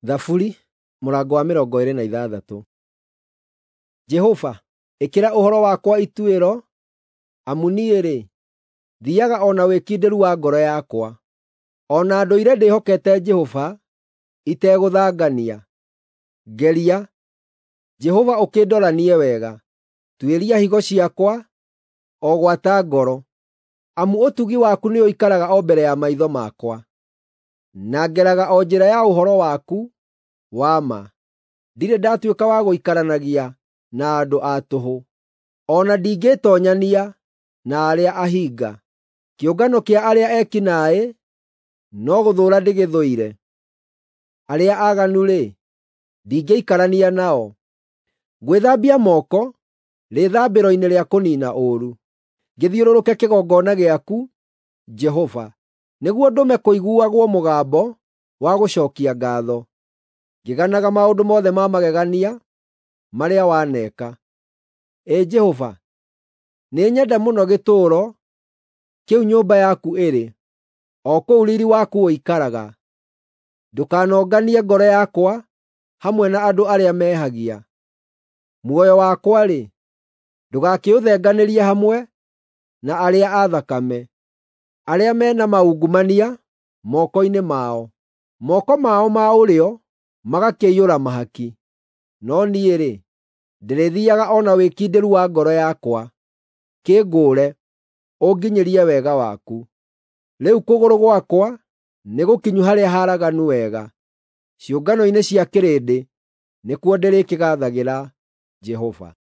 Thaburi mũrango wa 26. Jehova, ĩkĩra ũhoro wakwa ituĩro, amu niĩ-rĩ, thiiaga o na wĩkindĩru wa ngoro yakwa. O na ndũire ndĩhokete Jehova itegũthangania. Ngeria, Jehova ũkĩndoranie wega; tuĩria higo ciakwa, o gwata ngoro. Amu ũtugi waku nĩũikaraga o mbere ya maitho makwa, na ngeraga o njĩra ya ũhoro waku wa ma. Ndirĩ ndatuĩka wa gũikaranagia na andũ a tũhũ, o na ndingĩĩtoonyania na arĩa ahinga. Kĩũngano kĩa arĩa eki naaĩ no gũthũũra ndĩgĩthũire; arĩa aaganu-rĩ, ndingĩikarania nao. Ngwĩthambia moko rĩĩthambĩro-inĩ rĩa kũniina ũũru, ngĩthiũrũrũke kĩgongona gĩaku, Jehova, nĩguo ndũme kũiguagwo mũgambo wa gũcookia ngaatho, ngĩganaga maũndũ mothe ma magegania marĩa waneka. Ĩ Jehova, nĩnyenda mũno gĩtũũro kĩu nyũmba yaku ĩrĩ, o kũu riiri waku ũikaraga. Ndũkanonganie ngoro yakwa hamwe na andũ arĩa mehagia; muoyo wakwa-rĩ, ndũgakĩũthenganĩrie hamwe na arĩa a thakame, arĩa me na maungumania moko-inĩ mao, moko mao ma ũrĩo magakĩiyũra mahaki. No niĩ-rĩ, ndĩrĩthiiaga o na wĩkindĩru wa ngoro yakwa; kĩngũũre, ũnginyĩrie wega waku. Rĩu kũgũrũ gwakwa nĩgũkinyu harĩa haraganu wega; ciũngano-inĩ cia kĩrĩndĩ nĩkuo ndĩrĩkĩgaathagĩra Jehova.